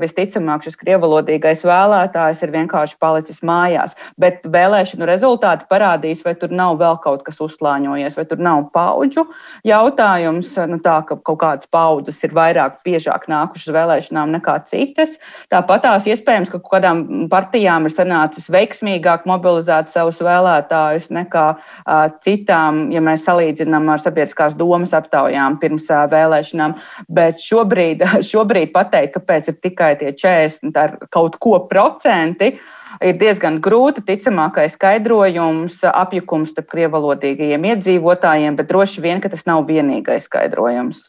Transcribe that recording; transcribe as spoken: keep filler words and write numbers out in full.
visticamāk šis krievalodīgais vēlētājs ir vienkārši palicis mājās. Bet vēlēšanu rezultāti parādīs, vai tur nav vēl kaut kas uzslāņojies, vai tur nav paudžu jautājums, nu tā, ka kaut kādas paudzes ir vairāk, biežāk nākušas uz vēlēšanām nekā citas. Tāpat tās iespējams, ka kaut kādām partijām ir sanācis veiksmīgāk mobilizēt savus vēlētājus nekā uh, citām, ja mēs salīdzinām ar sabiedriskās domas aptaujām pirms uh, vēlēšanām. Bet šobrīd, šobrīd pateikt, kāpēc ir tikai tie četrdesmit ar kaut ko procenti, ir diezgan grūti. Ticamākais skaidrojums apjukums starp krievalodīgajiem iedzīvotājiem, bet droši vien, ka tas nav vienīgais skaidrojums.